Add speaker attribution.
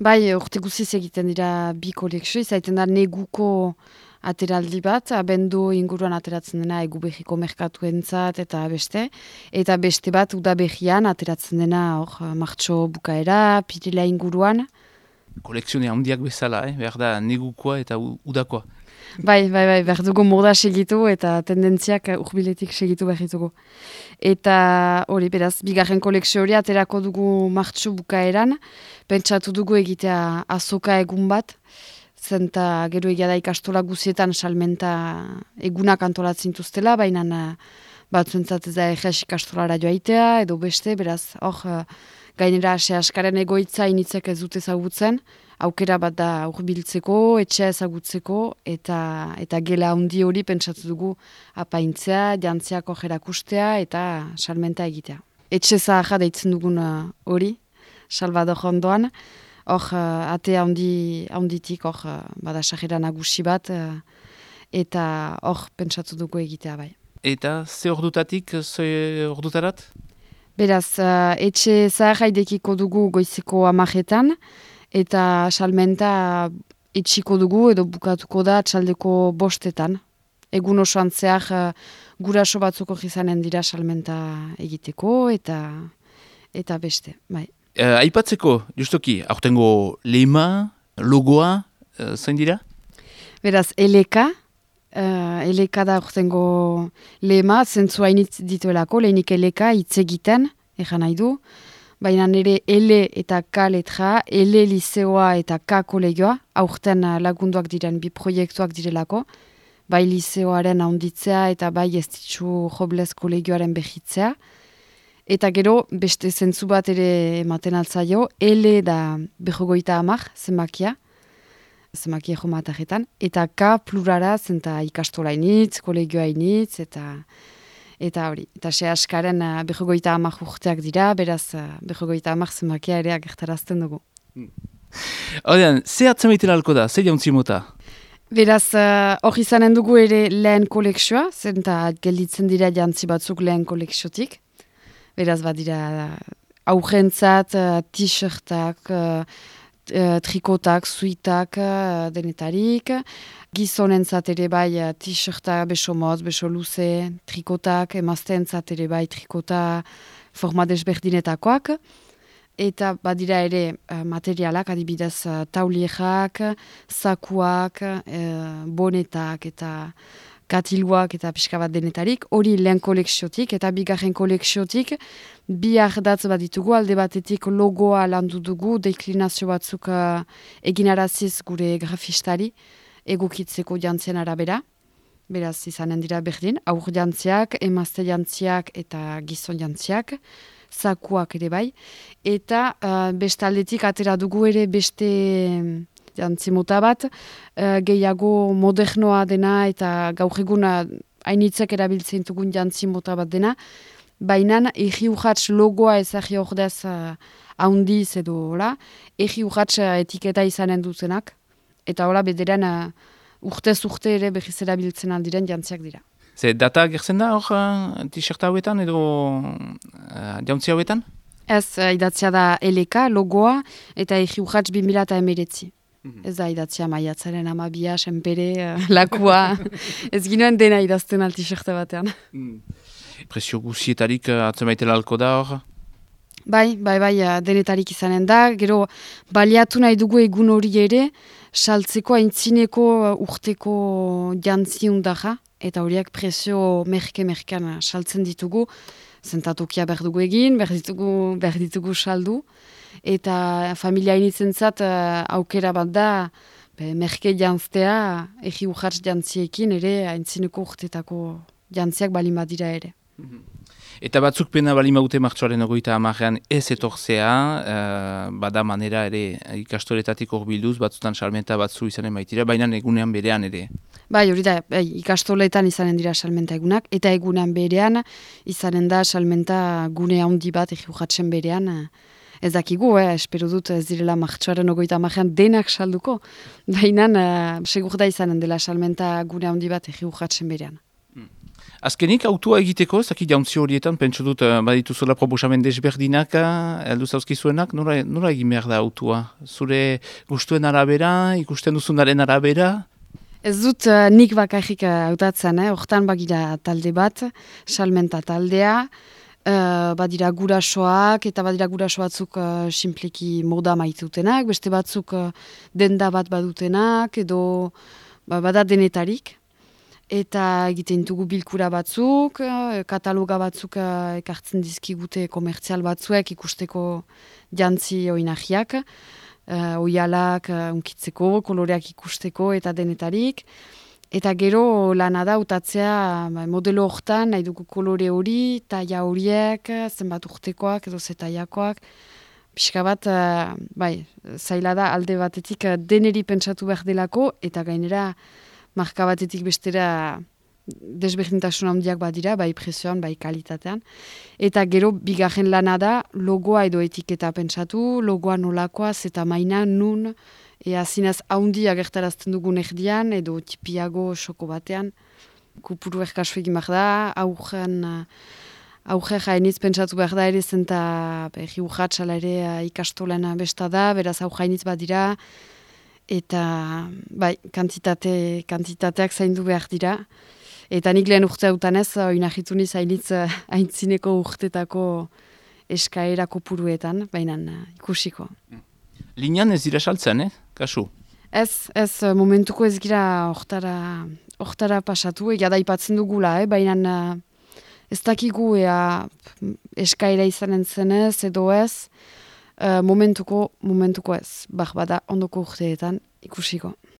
Speaker 1: Bai, urte guziz egiten dira bi kolekzio, izaiten da neguko ateraldi bat, abendu inguruan ateratzen dena egubehiko merkatuentzat eta beste bat udabehian ateratzen dena martxo bukaera, pirila inguruan.
Speaker 2: Kolekzione handiak bezala, behar da negukoa eta udakoa.
Speaker 1: Bai, behar dugu moda segitu eta tendentziak urbiletik segitu behar ditugu. Eta hori, beraz, bigarren kolekzio hori aterako dugu martxo bukaeran, pentsatu dugu egitea azoka egun bat, zenta gero egia da ikastola guzietan salmenta egunak antolatzen duztela, baina batzuentzat ez da egez ikastolara joaitea, edo beste, beraz, gainera askaren egoitza initzek ez dute ezagutzen, aukera bat da urbiltzeko, etxea ezagutzeko, eta gela handi hori pentsatu dugu apaintzea, jantziak ojerakustea eta salmenta egitea. Etxe zaharra deitzen dugun hori, Salvador ondoan, atea handitik bada sajera nagusi bat, eta pentsatu dugu egitea bai.
Speaker 2: Eta ze ordutatik, ze ordutarat?
Speaker 1: Beraz, etxe zaharra idekiko dugu goizeko 10:00, eta salmenta etxiko dugu edo bukatuko da txaldeko 5:00. Egun osoan zehar guraso batzuko izanen dira salmenta egiteko eta beste, bai.
Speaker 2: Aipatzeko, justoki, aurtengo lema, logoa, zain dira?
Speaker 1: Beraz, eleka da aurtengo lema, zentzua initz dituelako, lehenik eleka hitz egiten, egan nahi du, baina nire ele eta K letra, ele liseoa eta K kolegioa, aurten lagunduak diren bi proiektuak direlako, bai liseoaren handitzea eta bai Estitxu Robles kolegioaren behitzea. Eta gero, beste zentzu bat ere ematen altzaio, ele da 50 zenbakia jomatarretan, eta K plurara zenta ikastola initz, kolegioa initz, eta hori. Eta se askaren 50 urteak dira, beraz 50 zenbakia ere agertarazten dugu.
Speaker 2: Horrean, ze atzamaiten alko da, ze jauntzi mota?
Speaker 1: Beraz, hor izanen dugu ere lehen kolekzioa, zenta gelditzen dira jantzi batzuk lehen kolekziotik. Beraz, badira aurrentzat, t-shirtak, trikotak, suitak, denetarik. Gizonentzat ere bai t-shirtak beso motz, beso luze, trikotak, emazteentzat ere bai trikota forma desberdinetakoak. Eta badira ere materialak, adibidez taulierak, zakuak, bonetak eta katiluak eta pixka bat denetarik, hori lehen kolekziotik eta bigarren kolekziotik bi ardatz bat ditugu, alde batetik logoa landu dugu, deklinazio batzuk eginaraziz gure grafistari, egokitzeko jantzien arabera, beraz izanen dira berdin, aur jantziak, emazte jantziak eta gizon jantziak, zakuak ere bai, eta bestaldetik atera dugu ere beste jantzimota bat, gehiago modernoa dena eta gaur eguna hainitzek erabiltzen dugun jantzimota bat dena, baina egi urratz logoa ezagi ordez haundiz edo hola, egi urratz etiketa izanen duzenak, eta hola bederen urtez urte ere behiz erabiltzen aldiren jantziak dira.
Speaker 2: Ze data gertzen da hor t-shirt hauetan edo jauntzi hauetan?
Speaker 1: Ez, idatzia da eleka, logoa, eta egi urratz 2019. Ez da idatzia maiatzaren 12, senpere, lakua, ez ginoen dena idazten t-shirta batean.
Speaker 2: Presio guzietarik atzemaitela alko da hor?
Speaker 1: Bai, denetarik izanen da, gero baliatu nahi dugu egun hori ere, saltzeko aintzineko urteko jantziundaja, eta horiak presio merke-merkean saltzen ditugu, zentatokia behar dugu egin, behar ditugu saldu, eta familia inizentzat aukera bat da, merke jantztea, egi urratz jantziekin ere, aintzineko urtetako jantziak balin badira ere.
Speaker 2: Eta batzuk pena balin baute martxoaren 30 ez etorzea, bada manera ere ikastoletatik horbilduz, batzutan salmenta batzu izanen baitira, baina egunean berean ere.
Speaker 1: Bai, hori da, ikastoletan izanen dira salmenta egunak, eta egunean berean izanen da salmenta gune handi bat egi urratzen berean, ez dakigu, espero dut ez direla martxoaren 30 denak salduko, baina segur da izanen dela salmenta gune handi bat egi urratzen berean.
Speaker 2: Azkenik, autua egiteko, zaki jauntzi horietan, pentsu dut, badituzuela proposamen desberdinak, heldu zauzkizuenak, nora egin behar da autua? Zure gustuen arabera, ikusten duzunaren arabera?
Speaker 1: Ez dut nik bakarrik hautatzen, hortan bagira talde bat, salmenta taldea, badira gurasoak, eta badira guraso batzuk simpleki moda maitutenak, beste batzuk denda bat badutenak, edo bada denetarik. Eta egiten dugu bilkura batzuk, kataloga batzuk ekartzen dizkigute komertzial batzuek ikusteko jantzi oinahiak, oialak unkitzeko, koloreak ikusteko eta denetarik. Eta gero lana da utatzea modelo hortan, nahi dugu kolore hori, taia horiek, zenbat urtekoak edo zetaiakoak. Pixka bat, zaila da alde batetik deneri pentsatu behar delako, eta gainera marka batetik bestera desberdintasun handiak badira, bai prezioan, bai kalitatean. Eta gero bigarren lana da logoa edo etiketa pentsatu, logoa nolakoa, zeta maina, nun, zinez haundi agertarazten dugun erdian, edo tipiago soko batean. Kupuru erkasu egin behar da, aurre jainiz pentsatu behar da ere zenta berri urratxala ere ikastolen besta da, beraz aurre badira, eta kantitateak zaindu behar dira. Eta nik lehen urte hautanez, oinahitu niz haintzineko urtetako eskaerako puruetan, baina ikusiko.
Speaker 2: Linean ez dira saltzen, kasu?
Speaker 1: Ez momentuko ez gira hortara pasatu, egia da ipatzen dugula, baina ez dakigu eskaera izanen zenez edo ez, momentuko ez, bada ondoko urteetan ikusiko.